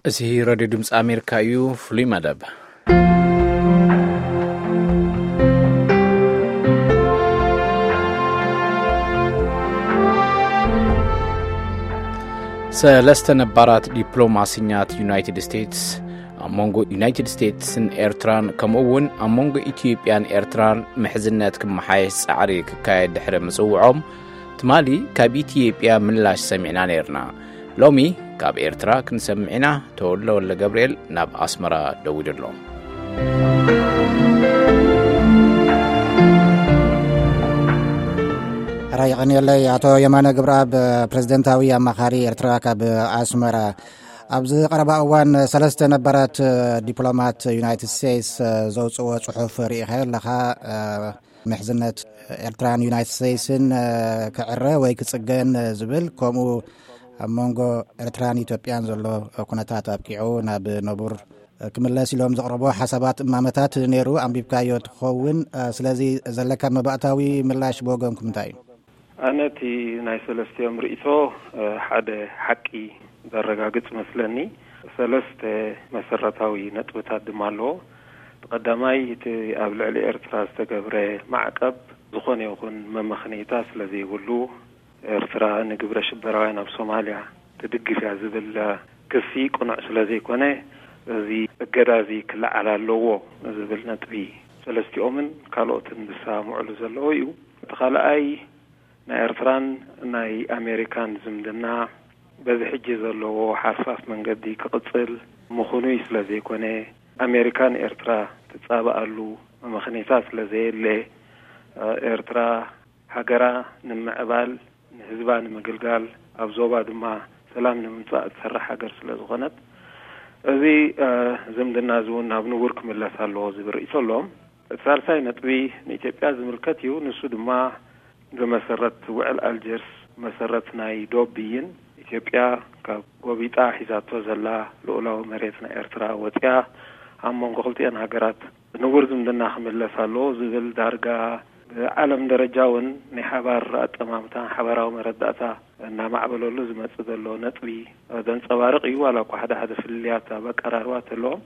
እዚ ሬድዮ ድምፂ ኣሜሪካ እዩ። ፍሉይ መደብ። ሰለስተ ነባራት ዲፕሎማሲኛት ዩናይትድ ስቴትስ ኣብ መንጎ ዩናይትድ ስቴትስን ኤርትራን፣ ከምኡ እውን ኣብ መንጎ ኢትዮጵያን ኤርትራን ምሕዝነት ክመሓየሽ ጻዕሪ ክካየድ ድሕሪ ምጽውዖም፣ ትማሊ ካብ ኢትዮጵያ ምላሽ ሰሚዕና ነይርና። ሎሚ ካብ ኤርትራ ክንሰምዕ ኢና። ተወልደ ወልደ ገብርኤል ናብ ኣስመራ ደዊሉ ኣሎ። ሕራይ የቐንየለይ። ኣቶ የማነ ግብረኣብ፣ ፕሬዝደንታዊ ኣማኻሪ ኤርትራ ካብ ኣስመራ። ኣብዚ ቀረባ እዋን ሰለስተ ነባራት ዲፕሎማት ዩናይትድ ስቴትስ ዘውፅዎ ፅሑፍ ርኢኻዮ ኣለኻ። ምሕዝነት ኤርትራን ዩናይትድ ስቴትስን ክዕረ ወይ ክፅገን ዝብል፣ ከምኡ ኣብ መንጎ ኤርትራን ኢትዮጵያን ዘሎ ኩነታት ኣብቂዑ ናብ ነቡር ክምለስ ኢሎም ዘቕረቦ ሓሳባት እማመታት ነይሩ፣ ኣንቢብካዮ ትኸውን። ስለዚ ዘለካ መባእታዊ ምላሽ ብወገንኩም እንታይ እዩ? ኣነ እቲ ናይ ሰለስቲኦም ርእይቶ፣ እ፣ ሓደ ሓቂ ዘረጋግጽ መስለኒ። ሰለስተ መሰረታዊ ነጥብታት ድማ ኣለዎ። እቲ ቀዳማይ፣ እቲ ኣብ ልዕሊ ኤርትራ ዝተገብረ ማዕቀብ ዝኾነ ይኹን መመኽነይታ ስለ ዘይብሉ፣ ኤርትራ ንግብረ ሽበራውያን ኣብ ሶማልያ ትድግፍ እያ ዝብል ክሲ ቅኑዕ ስለ ዘይኮነ፣ እዚ እገዳ እዚ ክለዓል ኣለዎ ዝብል ነጥቢ ሰለስቲኦምን ካልኦትን ዝሰማምዑሉ ዘለዉ እዩ። እቲ ካልኣይ፣ ናይ ኤርትራን ናይ ኣሜሪካን ዝምድና በዚ ሕጂ ዘለዎ ሓርፋፍ መንገዲ ክቕጽል ምኽኑይ ስለ ዘይኮነ፣ ኣሜሪካ ንኤርትራ ትጻባኣሉ መመኽነይታ ስለ ዘየለ፣ ኤርትራ ሃገራ ንምዕባል፣ ንህዝባ ንምግልጋል፣ ኣብ ዞባ ድማ ሰላም ንምምጻእ እትሰርሕ ሃገር ስለ ዝኾነት፣ እዚ፣ እ፣ ዝምድና እዚ እውን ናብ ንቡር ክምለስ ኣለዎ ዝብል ርእይቶ ኣለዎም። እቲ ሳልሳይ ነጥቢ ንኢትዮጵያ ዝምልከት እዩ። ንሱ ድማ ብመሰረት ውዕል ኣልጀርስ፣ መሰረት ናይ ዶብ ብይን፣ ኢትዮጵያ ካብ ጎቢጣ ሒዛቶ ዘላ ልኡላዊ መሬት ናይ ኤርትራ ወፂኣ፣ ኣብ መንጎ ክልቲኤን ሃገራት ንቡር ዝምድና ክምለስ ኣለዎ ዝብል፣ ዳርጋ ብዓለም ደረጃ እውን ናይ ሓባር ኣጠማምታ፣ ሓባራዊ መረዳእታ እናማዕበለሉ ዝመጽእ ዘሎ ነጥቢ ዘንጸባርቕ እዩ። ዋላ እኳ ሓደ ሓደ ፍልልያት ኣብ ኣቀራርባ ተለዎም።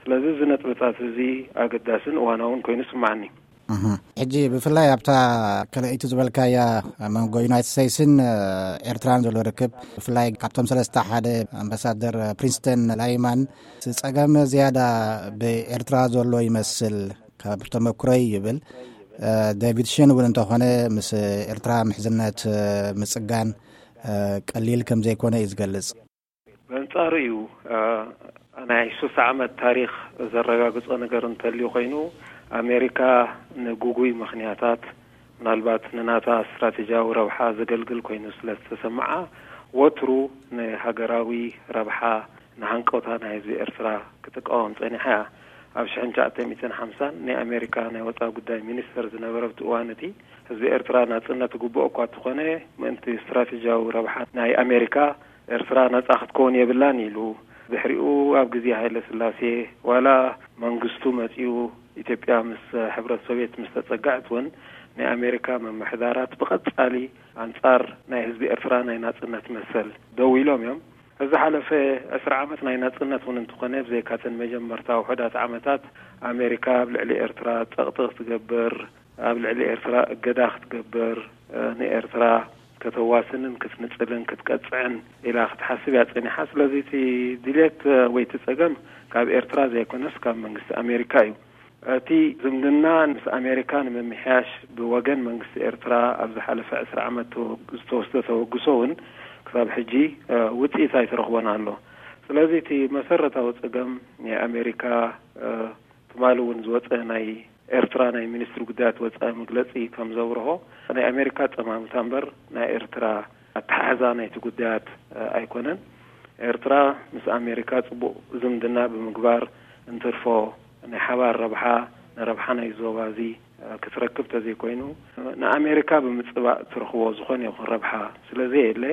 ስለዚ እዚ ነጥብታት እዚ ኣገዳስን እዋናውን ኮይኑ ይስምዓኒ። እህ። ሕጂ ብፍላይ ኣብታ ካልኣይቲ ዝበልካያ መንጎ ዩናይትድ ስቴትስን ኤርትራን ዘሎ ርክብ፣ ብፍላይ ካብቶም ሰለስተ ሓደ ኣምባሳደር ፕሪንስተን ላይማን፣ እቲ ጸገም ዝያዳ ብኤርትራ ዘሎ ይመስል። ካብ ተመኩሮይ ይብል። እ፣ ዴቪድ ሽን እውን እንተኾነ ምስ ኤርትራ ምሕዝነት፣ እ፣ ምጽጋን፣ እ፣ ቀሊል ከም ዘይኮነ እዩ ዝገልጽ። በንጻሩ እዩ፣ እ፣ ናይ ሱሳ ዓመት ታሪኽ ዘረጋግጾ ነገር እንተልዩ ኮይኑ፣ ኣሜሪካ ንግጉይ ምኽንያታት፣ ምናልባት ንናታ ስትራቴጂያዊ ረብሓ ዘገልግል ኮይኑ ስለ ዝተሰምዓ፣ ወትሩ ንሃገራዊ ረብሓ፣ ንሃንቀውታ ናይ ህዝቢ ኤርትራ ክትቃወም ጸኒሓ እያ። ኣብ ሽሕን ትሽዓተ ሚእትን ሓምሳን ናይ ኣሜሪካ ናይ ወጻኢ ጉዳይ ሚኒስተር ዝነበረ ኣብቲ እዋን እቲ፣ ህዝቢ ኤርትራ ናጽነት ዝግብኦ እኳ እንተኾነ፣ ምእንቲ ስትራቴጂያዊ ረብሓ ናይ ኣሜሪካ፣ ኤርትራ ናጻ ክትከውን የብላን ኢሉ። ድሕሪኡ ኣብ ግዜ ሃይለ ስላሴ፣ ዋላ መንግስቱ መጺኡ ኢትዮጵያ ምስ ሕብረት ሶቪየት ምስ ተጸግዐት እውን፣ ናይ ኣሜሪካ ምምሕዳራት ብቐጻሊ ኣንጻር ናይ ህዝቢ ኤርትራ ናይ ናጽነት መሰል ደው ኢሎም እዮም። ዝሓለፈ ዕስራ ዓመት ናይ ናጽነት እውን እንተኾነ፣ ብዘይካተን መጀመርታ ውሑዳት ዓመታት ኣሜሪካ ኣብ ልዕሊ ኤርትራ ጸቕጢ ክትገብር፣ ኣብ ልዕሊ ኤርትራ እገዳ ክትገብር፣ እ፣ ንኤርትራ ከተዋስንን ክትንጽልን ክትቀጽዕን ኢላ ክትሓስብ እያ ጸኒሓ። ስለዚ እቲ ድሌት፣ እ፣ ወይ እቲ ጸገም ካብ ኤርትራ ዘይኮነስ ካብ መንግስቲ ኣሜሪካ እዩ። እቲ ዝምድና ምስ ኣሜሪካ ንምምሕያሽ ብወገን መንግስቲ ኤርትራ ኣብ ዝሓለፈ ዕስራ ዓመት ተወግ-፣ ዝተወስደ ተበግሶ እውን ክሳብ ሕጂ፣ እ፣ ውጽኢት ኣይተረኽቦን ኣሎ። ስለዚ እቲ መሰረታዊ ጸገም ናይ ኣሜሪካ፣ እ፣ ትማሊ እውን ዝወጸ ናይ ኤርትራ ናይ ሚኒስትሪ ጉዳያት ወጻኢ መግለጺ ከም ዘብርሆ፣ ናይ ኣሜሪካ ጠማምታ እምበር ናይ ኤርትራ ኣተሓሕዛ ናይቲ ጉዳያት፣ እ፣ ኣይኮነን። ኤርትራ ምስ ኣሜሪካ ጽቡቕ ዝምድና ብምግባር እንትርፎ ናይ ሓባር ረብሓ፣ ንረብሓ ናይ ዞባ እዚ፣ እ፣ ክትረክብ ተዘይኮይኑ፣ ንኣሜሪካ ብምጽባእ ትረኽቦ ዝኾነ ይኹን ረብሓ ስለ ዘየለ፣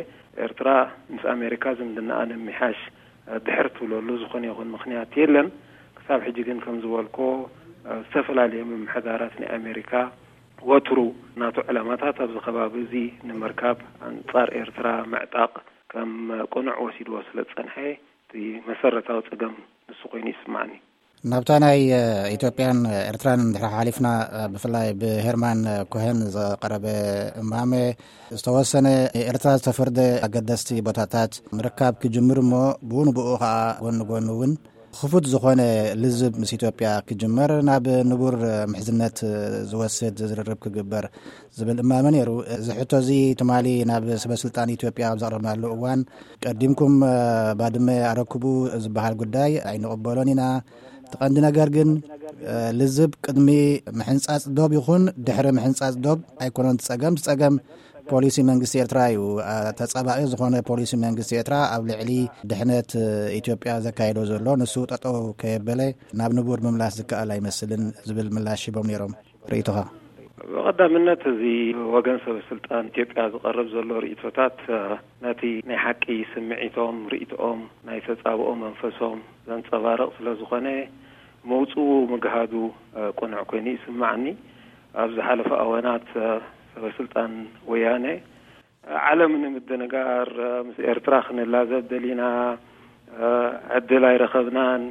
ኤርትራ ምስ ኣሜሪካ ዝምድናኣ ንምምሕያሽ፣ እ፣ ድሕር ትብለሉ ዝኾነ ይኹን ምኽንያት የለን። ክሳብ ሕጂ ግን ከም ዝበልኮ፣ እ፣ ዝተፈላለየ ምምሕዳራት ናይ ኣሜሪካ ወትሩ ናቱ ዕላማታት ኣብዚ ከባቢ እዚ ንምርካብ ኣንጻር ኤርትራ ምዕጣቕ ከም ቅኑዕ ወሲድዎ ስለ ዝጸንሐ፣ እቲ እቲ መሰረታዊ ጸገም ንሱ ኮይኑ ይስማዕኒ። ናብታ ናይ ኢትዮጵያን ኤርትራን እንድሕር ሓሊፍና፣ ብፍላይ ብሄርማን ኮሄን ዝቐረበ እማመ ዝተወሰነ፣ ኤርትራ ዝተፈርደ ኣገደስቲ ቦታታት ምርካብ ክጅምር እሞ፣ ብኡ ንብኡ ከዓ ጎኒ ጎኒ እውን ክፉት ዝኾነ ልዝብ ምስ ኢትዮጵያ ክጅመር፣ ናብ ንቡር ምሕዝነት ዝወስድ ዝርርብ ክግበር ዝብል እማመ ነይሩ። እዚ ሕቶ እዚ ትማሊ ናብ ሰበ ስልጣን ኢትዮጵያ ኣብ ዘቕረብናሉ እዋን፣ ቀዲምኩም ባድመ ኣረክቡ ዝበሃል ጉዳይ ኣይንቕበሎን ኢና። እቲ ቀንዲ ነገር ግን ልዝብ ቅድሚ ምሕንጻጽ ዶብ ይኹን ድሕሪ ምሕንጻጽ ዶብ ኣይኮነን። ጸገም ጸገም ፖሊሲ መንግስቲ ኤርትራ እዩ። ተጻባኢ ዝኾነ ፖሊሲ መንግስቲ ኤርትራ ኣብ ልዕሊ ድሕነት ኢትዮጵያ ዘካየዶ ዘሎ፣ ንሱ ጠጠው ከየበለ ናብ ንቡር ምምላስ ዝከኣል ኣይመስልን ዝብል ምላሽ ሂቦም ነይሮም። ርእይቶኻ? ብቐዳምነት፣ እዚ ወገን ሰበ ስልጣን ኢትዮጵያ ዝቐርብ ዘሎ ርእይቶታት ነቲ ናይ ሓቂ ስምዒቶም፣ ርእይቶኦም፣ ናይ ተጻብኦ መንፈሶም ዘንጸባርቕ ስለ ዝኾነ፣ መውጽኡ ምግሃዱ ቅኑዕ ኮይኑ ይስማዓኒ። ኣብ ዝሓለፈ ኣዋናት ሰበ ስልጣን ወያነ፣ ዓለም ንምድንጋር፣ ምስ ኤርትራ ክንላዘብ ደሊና፣ ዕድል ኣይረኸብናን፣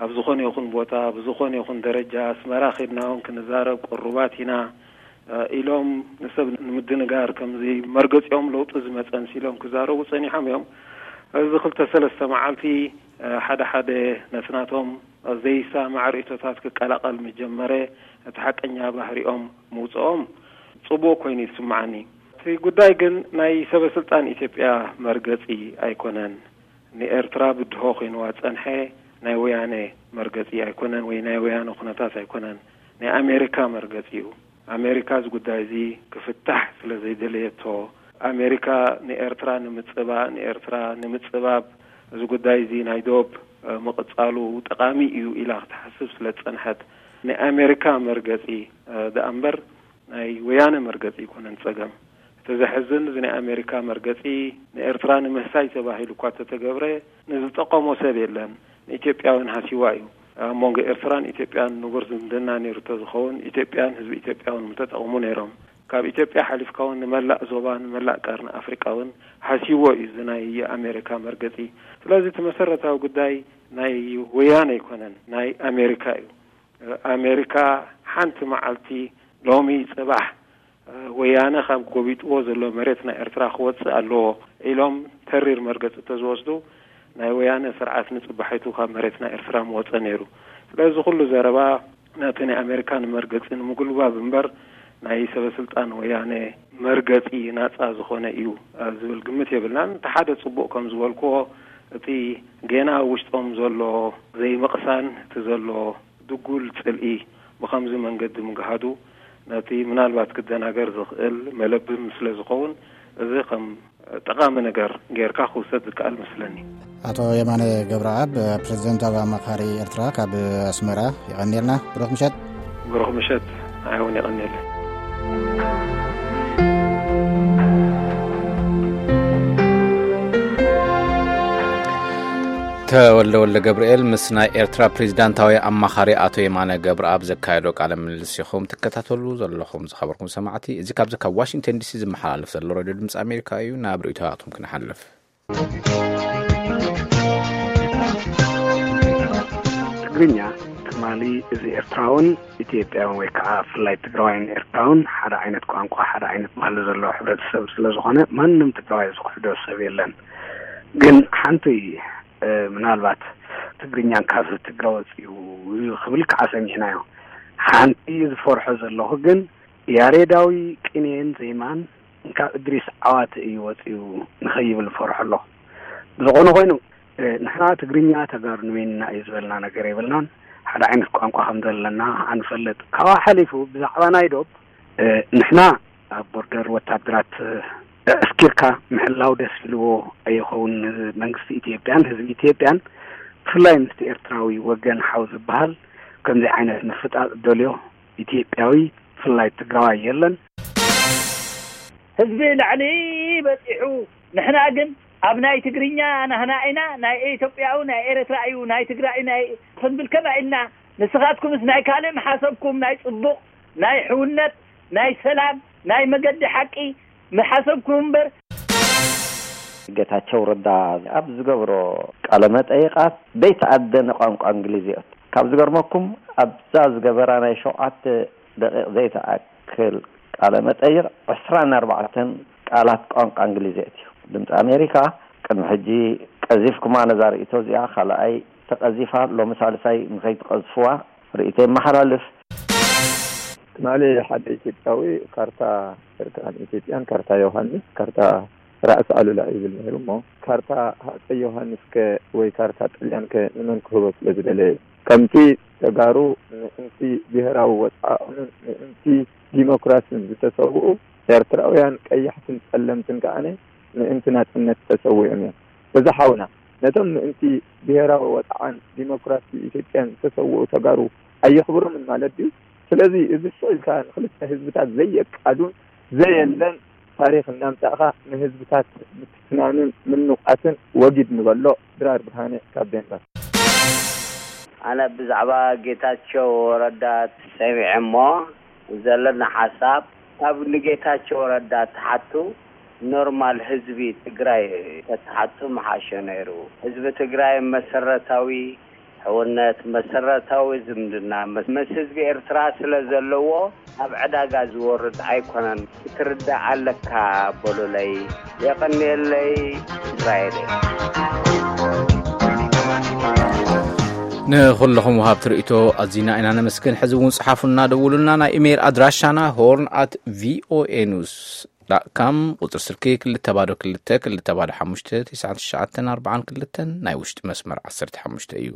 ኣብ ዝኾነ ይኹን ቦታ፣ ብዝኾነ ይኹን ደረጃ ኣስመራ ኬድና እውን ክንዛረብ ቅሩባት ኢና ኢሎም፣ ንሰብ ንምድንጋር፣ ከምዚ መርገጺኦም ለውጢ ዝመጸ መሲሎም ክዛረቡ ጸኒሖም እዮም። እዚ ክልተ ሰለስተ መዓልቲ ሓደ ሓደ ነቲ ናቶም ዘይሰማማዕ ርእይቶታት ክቀላቐል ምጀመረ፣ እቲ ሓቀኛ ባህሪኦም ምውጽኦም ጽቡቕ ኮይኑ ይስምዓኒ። እቲ ጉዳይ ግን ናይ ሰበ ስልጣን ኢትዮጵያ መርገጺ ኣይኮነን። ንኤርትራ ብድሆ ኮይንዋ ዝጸንሐ ናይ ወያነ መርገጺ ኣይኮነን፣ ወይ ናይ ወያነ ኩነታት ኣይኮነን። ናይ ኣሜሪካ መርገጺ እዩ። ኣሜሪካ እዚ ጉዳይ እዚ ክፍታሕ ስለ ዘይደለየቶ፣ ኣሜሪካ ንኤርትራ ንምጽባእ፣ ንኤርትራ ንምጽባብ፣ እዚ ጉዳይ እዚ ናይ ዶብ ምቕጻሉ ጠቓሚ እዩ ኢላ ክትሓስብ ስለ ዝጸንሐት፣ ናይ ኣሜሪካ መርገጺ ደኣ እምበር ናይ ወያነ መርገጺ ኣይኮነን ጸገም። እቲ ዘሕዝን፣ እዚ ናይ ኣሜሪካ መርገጺ ንኤርትራ ንምህሳይ ተባሂሉ እኳ እንተተገብረ፣ ንዝጠቐሞ ሰብ የለን። ንኢትዮጵያ እውን ሃሲዋ እዩ። ኣብ መንጎ ኤርትራን ኢትዮጵያን ንቡር ዝምድና ነይሩ እንተዝኸውን፣ ኢትዮጵያን ህዝቢ ኢትዮጵያ እውን ምተጠቐሙ ነይሮም። ካብ ኢትዮጵያ ሓሊፍካ እውን ንመላእ ዞባ፣ ንመላእ ቀርኒ ኣፍሪቃ እውን ሃሲዎ እዩ እዚ ናይ ኣሜሪካ መርገጺ። ስለዚ እቲ መሰረታዊ ጉዳይ ናይ ወያነ ኣይኮነን፣ ናይ ኣሜሪካ እዩ። ኣሜሪካ ሓንቲ መዓልቲ፣ ሎሚ፣ ጽባሕ፣ ወያነ ካብ ጎቢጥዎ ዘሎ መሬት ናይ ኤርትራ ክወጽእ ኣለዎ ኢሎም ተሪር መርገጺ እንተዝወስዱ፣ ናይ ወያነ ስርዓት ንጽባሒቱ ካብ መሬት ናይ ኤርትራ ምወጸ ነይሩ። ስለዚ ኩሉ ዘረባ ነቲ ናይ ኣሜሪካ ንመርገጺ ንምጉልባብ እምበር፣ ናይ ሰበ ስልጣን ወያነ መርገጺ ናጻ ዝኾነ እዩ ዝብል ግምት የብልናን። እቲ ሓደ ጽቡቕ ከም ዝበልክዎ፣ እቲ ጌና ኣብ ውሽጦም ዘሎ ዘይምቕሳን፣ እቲ ዘሎ ድጉል ጽልኢ ብኸምዚ መንገዲ ምግሃዱ፣ ነቲ ምናልባት ክደናገር ዝኽእል መለብም ስለ ዝኸውን፣ እዚ ከም ጠቓሚ ነገር ጌርካ ክውሰድ ዝከኣል መስለኒ። ኣቶ የማነ ገብረኣብ፣ ፕሬዚደንታዊ ኣማኻሪ ኤርትራ ካብ ኣስመራ፣ የቐንየልና። ብሩኽ ምሸት። ብሩኽ ምሸት። ንዓይ እውን የቐንየለይ። ተወልደ ወልደ ገብርኤል ምስ ናይ ኤርትራ ፕሬዚዳንታዊ ኣማኻሪ ኣቶ የማነ ገብረኣብ ዘካየዶ ቃለ ምልልስ ኢኹም ትከታተሉ ዘለኹም፣ ዝኸበርኩም ሰማዕቲ። እዚ ካብዚ ካብ ዋሽንግተን ዲሲ ዝመሓላለፍ ዘሎ ሬድዮ ድምፂ ኣሜሪካ እዩ። ናብ ርእይቶታትኩም ክንሓልፍ። ትግርኛ ትማሊ፣ እዚ ኤርትራውን ኢትዮጵያውን ወይ ከዓ ብፍላይ ትግራዋይን ኤርትራውን ሓደ ዓይነት ቋንቋ፣ ሓደ ዓይነት ባህሊ ዘለዎ ሕብረተሰብ ስለ ዝኾነ፣ ማንም ትግራዋይ ዝኽሕዶ ሰብ የለን። ግን ሓንቲ፣ እ፣ ምናልባት ትግርኛን ካብ ትግረ ወፂኡ ክብል ከዓ ሰሚዕናዮ። ሓንቲ ዝፈርሖ ዘለኹ ግን፣ ያሬዳዊ ቅኔን ዜማን ካብ እድሪስ ዓዋተ እዩ ወፂኡ ንኸይብል እፈርሖ ኣለኹ። ብዝኾነ ኮይኑ፣ እ፣ ንሕና ትግርኛ ተጋሩ ንበይንና እዩ ዝበልና ነገር የብልናን። ሓደ ዓይነት ቋንቋ ከም ዘለና ኣንፈልጥ። ካብኡ ሓሊፉ ብዛዕባ ናይ ዶብ፣ እ፣ ንሕና ኣብ ቦርደር ወታደራት፣ እ፣ ኣስኪርካ ምሕላው ደስ ኢልዎ ኣይኸውን መንግስቲ ኢትዮጵያን ህዝቢ ኢትዮጵያን። ብፍላይ ምስቲ ኤርትራዊ ወገን ሓው ዝበሃል ከምዚ ዓይነት ምፍጣጥ ደልዮ ኢትዮጵያዊ፣ ብፍላይ ትግራዋይ፣ የለን። ህዝቢ ላዕሊ በጺሑ፣ ንሕና ግን ኣብ ናይ ትግርኛ ናህና ኢና፣ ናይ ኢትዮጵያዊ ናይ ኤርትራ እዩ፣ ናይ ትግራይ ናይ ክንብል ከመይ ኢልና? ንስኻትኩምስ ናይ ካልእ ምሓሰብኩም፣ ናይ ጽቡቕ፣ ናይ ሕውነት፣ ናይ ሰላም፣ ናይ መገዲ ሓቂ ምሓሰብኩም እምበር። ጌታቸው ረዳ ኣብ ዝገብሮ ቃለ መጠይቓት ዘይተኣደነ ቋንቋ እንግሊዝ እዩ። ካብ ዝገርመኩም ኣብዛ ዝገበራ ናይ ሸውዓተ ደቂቕ ዘይተኣክል ቃለ መጠይቕ ዕስራን ኣርባዕተን ቃላት ቋንቋ እንግሊዝ እዩ። ድምፂ ኣሜሪካ ቅድሚ ሕጂ ቀዚፍኩማ ነዛ ርእይቶ እዚኣ፣ ካልኣይ ተቐዚፋ ሎሚ ሳልሳይ ንኸይትቐዝፍዋ ርእይቶ የመሓላልፍ። ትማሊ ሓደ ኢትዮጵያዊ ካርታ ኤርትራን ኢትዮጵያን ካርታ ዮሃንስ ካርታ ራእሲ ኣሉላ ይብል ነይሩ እሞ ካርታ ሃፀይ ዮሃንስ ከ ወይ ካርታ ጥልያን ከ ንመን ክህቦ ስለ ዝደለየ ከምቲ ተጋሩ ምእንቲ ብሄራዊ ወፃእኦምን ምእንቲ ዲሞክራሲን ዝተሰውኡ ኤርትራውያን ቀያሕትን ፀለምትን ከዓነ ምእንቲ ናፅነት ተሰዊኦም እዮም። እዚ ሓውና ነቶም ምእንቲ ብሄራዊ ወፃዓን ዲሞክራሲ ኢትዮጵያን ዝተሰውኡ ተጋሩ ኣየኽብሮምን ማለት ድዩ? ስለዚ እዚ ስቕ ኢልካ ንክልተ ህዝብታት ዘየቃዱን ዘየለን ታሪኽ እናምፃእኻ ንህዝብታት ምትፍናንን ምንቋትን ወጊድ ንበሎ። ድራር ብርሃነ ካብ ዴንማርክ። ኣነ ብዛዕባ ጌታቸው ረዳ ሰሚዐ እሞ ዘለና ሓሳብ ካብ ንጌታቸው ረዳ ትሓቱ ኖርማል ህዝቢ ትግራይ ተትሓቱ ምሓሸ ነይሩ። ህዝቢ ትግራይ መሰረታዊ ሕውነት፣ መሰረታዊ ዝምድና ምስ ህዝቢ ኤርትራ ስለ ዘለዎ ኣብ ዕዳጋ ዝወርድ ኣይኮነን። ክትርዳእ ኣለካ በሉለይ። የቐንየለይ። እስራኤል እየ። ንኹለኹም ወሃብቲ ርእይቶ ኣዚና ኢና ነመስግን። ሕዚ እውን ጽሓፉና፣ ደውሉና። ናይ ኢሜይል ኣድራሻና ሆርን ኣት ቪኦኤ ኒውስ ዳት ካም፣ ቁጽሪ ስልኪ ክልተ ባዶ ክልተ ክልተ ባዶ ሓሙሽተ ትሽዓተ ትሽዓተ ኣርባዓን ክልተን፣ ናይ ውሽጢ መስመር ዓሰርተ ሓሙሽተ እዩ።